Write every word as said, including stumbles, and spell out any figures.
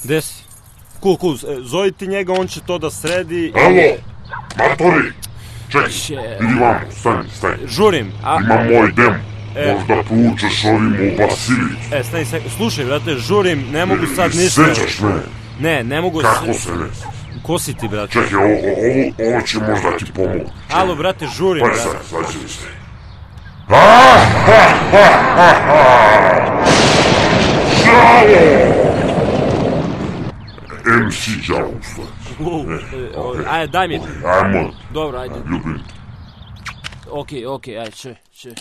Gde si? Cool, cool, zove ti njega, on će to da sredi. Alo, matori, čekaj, vidi vamo, stani, stani. Žurim, a... Imam moj demo, možda poučeš ovim u Basilicu. E, stani, stani, slušaj, brate, žurim, ne mogu sad ništa. Sećaš me? Ne, ne mogu... Kako se ne sećaš? Ko si ti, brate? Čekaj, ovo, ovo, ovo će možda ti pomoći. Alo, brate, žurim, pa brate. Pa sad, sad će mi se. Ha, ha, ha, ha, ha! Đavo! em ce Đavo, stvari. Ajde, daj mi. Ajmo. Dobro, ajde. Ljubim. Okej, okej, ajde, če, če.